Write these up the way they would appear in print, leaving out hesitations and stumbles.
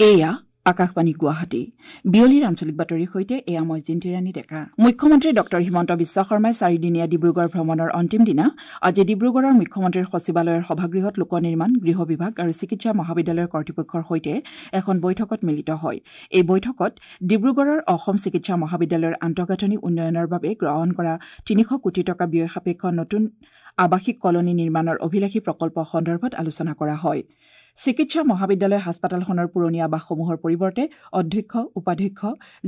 এয়া আকাশবাণী গুৱাহাটী। বিয়লিৰ আঞ্চলিক বাতৰিৰ সৈতে এয়া মই জিন্তিৰাণী ডেকা। মুখ্যমন্ত্ৰী ডঃ হিমন্ত বিশ্ব শৰ্মাই চাৰিদিনীয়া ডিব্ৰুগড় ভ্ৰমণৰ অন্তিম দিনা আজি ডিব্ৰুগড়ৰ মুখ্যমন্ত্ৰীৰ সচিবালয়ৰ সভাগৃহত লোক নিৰ্মাণ, গৃহ বিভাগ আৰু চিকিৎসা মহাবিদ্যালয়ৰ কৰ্তৃপক্ষৰ সৈতে এখন বৈঠকত মিলিত হয়। এই বৈঠকত ডিব্ৰুগড়ৰ অসম চিকিৎসা মহাবিদ্যালয়ৰ আন্তঃগাঁথনি উন্নয়নৰ বাবে গ্ৰহণ কৰা ৩০০ কোটি টকা ব্যয় সাপেক্ষ নতুন আৱাসিক কলনী নিৰ্মাণৰ অভিলাষী প্ৰকল্প সন্দৰ্ভত আলোচনা কৰা হয়। চিকিৎসা মহাবিদ্যালয় হাস্পতালখনৰ পুৰণি আৱাসসমূহৰ পৰিৱৰ্তে অধ্যক্ষ, উপাধ্যক্ষ,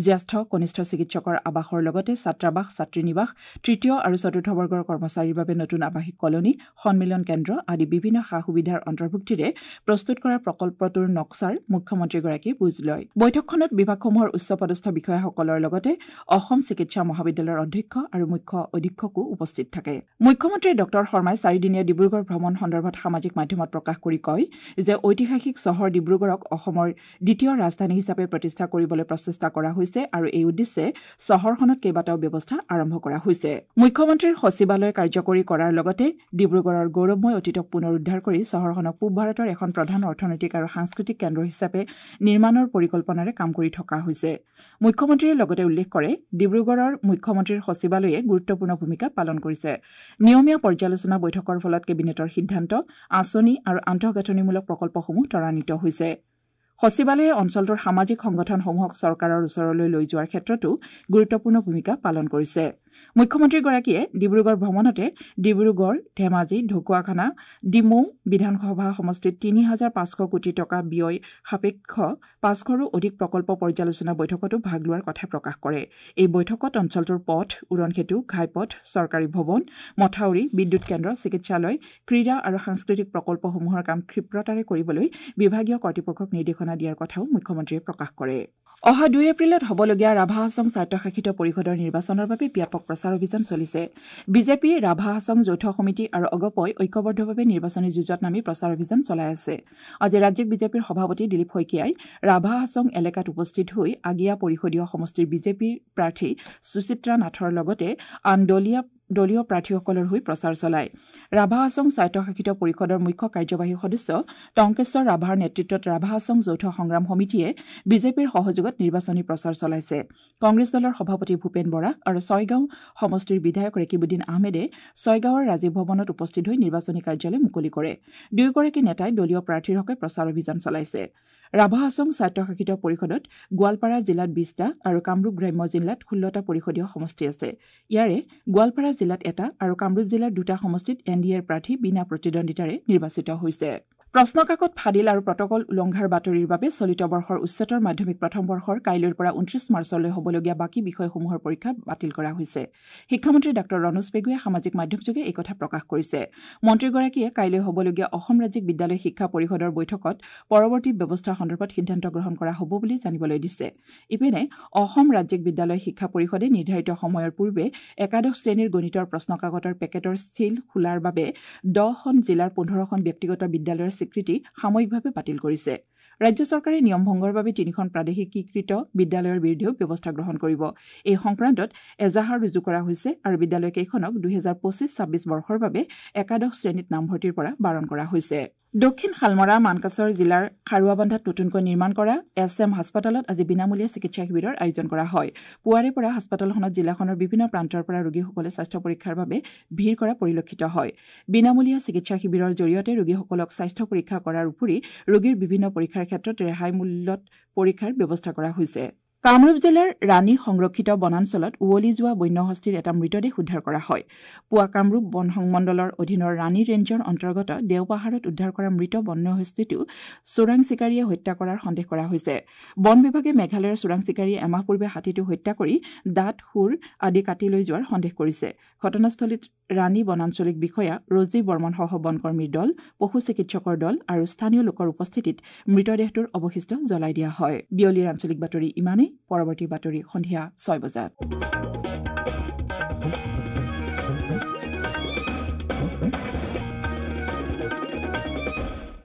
জ্যেষ্ঠ, কনিষ্ঠ চিকিৎসকৰ আৱাসৰ লগতে ছাত্ৰাবাস, ছাত্ৰীনিবাস, তৃতীয় আৰু চতুৰ্থ বৰ্গৰ কৰ্মচাৰীৰ বাবে নতুন আৱাসিক কলনী, সন্মিলন কেন্দ্ৰ আদি বিভিন্ন সা সুবিধাৰ অন্তৰ্ভুক্তিৰে প্ৰস্তুত কৰা প্ৰকল্পটোৰ নক্সাৰ মুখ্যমন্ত্ৰীগৰাকীয়ে বুজ লয়। বৈঠকখনত বিভাগসমূহৰ উচ্চপদস্থ বিষয়াসকলৰ লগতে অসম চিকিৎসা মহাবিদ্যালয়ৰ অধ্যক্ষ আৰু মুখ্য অধীক্ষকো উপস্থিত থাকে। মুখ্যমন্ত্ৰী ডঃ শৰ্মাই চাৰিদিনীয়া ডিব্ৰুগড় ভ্ৰমণ সন্দৰ্ভত সামাজিক মাধ্যমত প্ৰকাশ কৰি কয় যে ঐতিহাসিক চহৰ ডিব্ৰুগড়ক অসমৰ দ্বিতীয় ৰাজধানী হিচাপে প্ৰতিষ্ঠা কৰিবলৈ প্ৰচেষ্টা কৰা হৈছে আৰু এই উদ্দেশ্যে চহৰখনত কেইবাটাও ব্যৱস্থা আৰম্ভ কৰা হৈছে। মুখ্যমন্ত্ৰীৰ সচিবালয় কাৰ্যকৰী কৰাৰ লগতে ডিব্ৰুগড়ৰ গৌৰৱময় অতীতক পুনৰুদ্ধাৰ কৰি চহৰখনক পূব ভাৰতৰ এখন প্ৰধান অৰ্থনৈতিক আৰু সাংস্কৃতিক কেন্দ্ৰ হিচাপে নিৰ্মাণৰ পৰিকল্পনাৰে কাম কৰি থকা হৈছে। মুখ্যমন্ত্ৰীয়ে লগতে উল্লেখ কৰে, ডিব্ৰুগড়ৰ মুখ্যমন্ত্ৰীৰ সচিবালয়ে গুৰুত্বপূৰ্ণ ভূমিকা পালন কৰিছে। নিয়মীয়া পৰ্যালোচনা বৈঠকৰ ফলত কেবিনেটৰ সিদ্ধান্ত, আঁচনি আৰু আন্তঃগাঁথনিমূলক প্ৰকল্পসমূহ ত্বৰান্বিত হৈছে। সচিবালয়ে অঞ্চলটোৰ সামাজিক সংগঠনসমূহক চৰকাৰৰ ওচৰলৈ লৈ যোৱাৰ ক্ষেত্ৰতো গুৰুত্বপূৰ্ণ ভূমিকা পালন কৰিছে। মুখ্যমন্ত্ৰীগৰাকীয়ে ডিব্ৰুগড় ভ্ৰমণতে ডিব্ৰুগড়, ধেমাজি, ঢকুৱাখানা, ডিমৌ বিধানসভা সমষ্টিত ৩৫০০ কোটি টকা ব্যয় সাপেক্ষ ৫০০ৰো অধিক প্ৰকল্প পৰ্যালোচনা বৈঠকতো ভাগ লোৱাৰ কথা প্ৰকাশ কৰে। এই বৈঠকত অঞ্চলটোৰ পথ, উৰণসেতু, ঘাইপথ, চৰকাৰী ভৱন, মথাউৰি, বিদ্যুৎ কেন্দ্ৰ, চিকিৎসালয়, ক্ৰীড়া আৰু সাংস্কৃতিক প্ৰকল্পসমূহৰ কাম ক্ষিপ্ৰতাৰে কৰিবলৈ বিভাগীয় কৰ্তৃপক্ষক নিৰ্দেশনা দিয়াৰ কথাও মুখ্যমন্ত্ৰীয়ে প্ৰকাশ কৰে। অহা ২ এপ্ৰিলত হ'বলগীয়া ৰাভা হাছং স্বায়ত্তশাসিত পৰিষদৰ নিৰ্বাচনৰ বাবে ব্যাপক প্ৰচাৰ অভিযান চলিছে। বিজেপি, ৰাভা হাছং যৌথ সমিতি আৰু অগপই ঐক্যবদ্ধভাৱে নিৰ্বাচনী যুঁজত নামি প্ৰচাৰ অভিযান চলাই আছে। আজি ৰাজ্যিক বিজেপিৰ সভাপতি দিলীপ শইকীয়াই ৰাভা হাছং এলেকাত উপস্থিত হৈ আগিয়া পৰিষদীয় সমষ্টিৰ বিজেপিৰ প্ৰাৰ্থী সুচিত্ৰা নাথৰ লগতে আন দলীয় প্ৰাৰ্থীসকলৰ হৈ প্ৰচাৰ চলায়। ৰাভা হাছং স্বায়ত্তশাসিত পৰিষদৰ মুখ্য কাৰ্যবাহী সদস্য টংকেশ্বৰ ৰাভাৰ নেতৃত্বত ৰাভা হাছং যৌথ সংগ্ৰাম সমিতিয়ে বিজেপিৰ সহযোগত নিৰ্বাচনী প্ৰচাৰ চলাইছে। কংগ্ৰেছ দলৰ সভাপতি ভূপেন বৰা আৰু ছয়গাঁও সমষ্টিৰ বিধায়ক ৰেকিবুদ্দিন আহমেদে ছয়গাঁৱৰ ৰাজীৱ ভৱনত উপস্থিত হৈ নিৰ্বাচনী কাৰ্যালয় মুকলি কৰে। দুয়োগৰাকী নেতাই দলীয় প্ৰাৰ্থীৰ হকে প্ৰচাৰ অভিযান চলাইছে। ৰাভা হাছং স্বায়ত্তশাসিত পৰিষদত গোৱালপাৰা জিলাত ২০টা আৰু কামৰূপ গ্ৰাম্য জিলাত ১৬টা পৰিষদীয় সমষ্টি আছে। ইয়াৰে গোৱালপাৰা জিলাত এটা আৰু কামৰূপ জিলাৰ দুটা সমষ্টিত এন ডি এৰ প্ৰাৰ্থী বিনা প্ৰতিদ্বন্দ্বিতাৰে নিৰ্বাচিত হৈছে। প্ৰশ্নকাকত ফাদিল আৰু প্ৰটকল উলংঘাৰ বাতৰিৰ বাবে চলিত বৰ্ষৰ উচ্চতৰ মাধ্যমিক প্ৰথম বৰ্ষৰ কাইলৈৰ পৰা ২৯ মাৰ্চলৈ হ'বলগীয়া বাকী বিষয়সমূহৰ পৰীক্ষা বাতিল কৰা হৈছে। শিক্ষামন্ত্ৰী ডাঃ ৰণোজ পেগুৱে সামাজিক মাধ্যমযোগে এই কথা প্ৰকাশ কৰিছে। মন্ত্ৰীগৰাকীয়ে কাইলৈ হ'বলগীয়া অসম ৰাজ্যিক বিদ্যালয় শিক্ষা পৰিষদৰ বৈঠকত পৰৱৰ্তী ব্যৱস্থা সন্দৰ্ভত সিদ্ধান্ত গ্ৰহণ কৰা হ'ব বুলি জানিবলৈ দিছে। ইপিনে অসম ৰাজ্যিক বিদ্যালয় শিক্ষা পৰিষদে নিৰ্ধাৰিত সময়ৰ পূৰ্বে একাদশ শ্ৰেণীৰ গণিতৰ প্ৰশ্নকাকতৰ পেকেটৰ ছীল খোলাৰ বাবে ১০খন জিলাৰ ১৫খন ব্যক্তিগত বিদ্যালয়ৰ স্বীকৃতি সাময়িকভাৱে বাতিল কৰিছে। ৰাজ্য চৰকাৰে নিয়ম ভংগৰ বাবে ৩খন প্ৰাদেশিকীকৃত বিদ্যালয়ৰ বিৰুদ্ধেও ব্যৱস্থা গ্ৰহণ কৰিব। এই সংক্ৰান্তত এজাহাৰ ৰুজু কৰা হৈছে আৰু বিদ্যালয়কেইখনক ২০২৫-২৬ বৰ্ষৰ বাবে একাদশ শ্ৰেণীত নামভৰ্তিৰ পৰা বাৰণ কৰা হৈছে। দক্ষিণ শালমৰা মানকাচৰ জিলাৰ খাৰুৱাবান্ধাত নতুনকৈ নিৰ্মাণ কৰা এছ এম হাস্পতালত আজি বিনামূলীয়া চিকিৎসা শিবিৰৰ আয়োজন কৰা হয়। পুৱাৰে পৰা হাস্পতালখনত জিলাখনৰ বিভিন্ন প্ৰান্তৰ পৰা ৰোগীসকলে স্বাস্থ্য পৰীক্ষাৰ বাবে ভিৰ কৰা পৰিলক্ষিত হয়। বিনামূলীয়া চিকিৎসা শিবিৰৰ জৰিয়তে ৰোগীসকলক স্বাস্থ্য পৰীক্ষা কৰাৰ উপৰি ৰোগীৰ বিভিন্ন পৰীক্ষাৰ ক্ষেত্ৰত ৰেহাই মূল্যত পৰীক্ষাৰ ব্যৱস্থা কৰা হৈছে। কামৰূপ জিলাৰ ৰাণী সংৰক্ষিত বনাঞ্চলত উৱলি যোৱা বন্যহস্তীৰ এটা মৃতদেহ উদ্ধাৰ কৰা হয়। পুৱা কামৰূপ বন সংমণ্ডলৰ অধীনৰ ৰাণী ৰেঞ্জৰ অন্তৰ্গত দেওপাহাৰত উদ্ধাৰ কৰা মৃত বন্যহস্তীটো চোৰাং চিকাৰীয়ে হত্যা কৰাৰ সন্দেহ কৰা হৈছে। বন বিভাগে মেঘালয়ৰ চোৰাং চিকাৰীয়ে এমাহ পূৰ্বে হাতীটো হত্যা কৰি দাঁত, শুঁৰ আদি কাটি লৈ যোৱাৰ সন্দেহ কৰিছে। ঘটনাস্থলীত ৰাণী বনাঞ্চলিক বিষয়া ৰজী বৰ্মনসহ বনকৰ্মীৰ দল, পশু চিকিৎসকৰ দল আৰু স্থানীয় লোকৰ উপস্থিতিত মৃতদেহটোৰ অৱশিষ্ট জ্বলাই দিয়া হয়। বিয়লিৰ আঞ্চলিক বাতৰি ইমানেই। পৰৱৰ্তী বাতৰি সন্ধিয়া ৬ বজাত।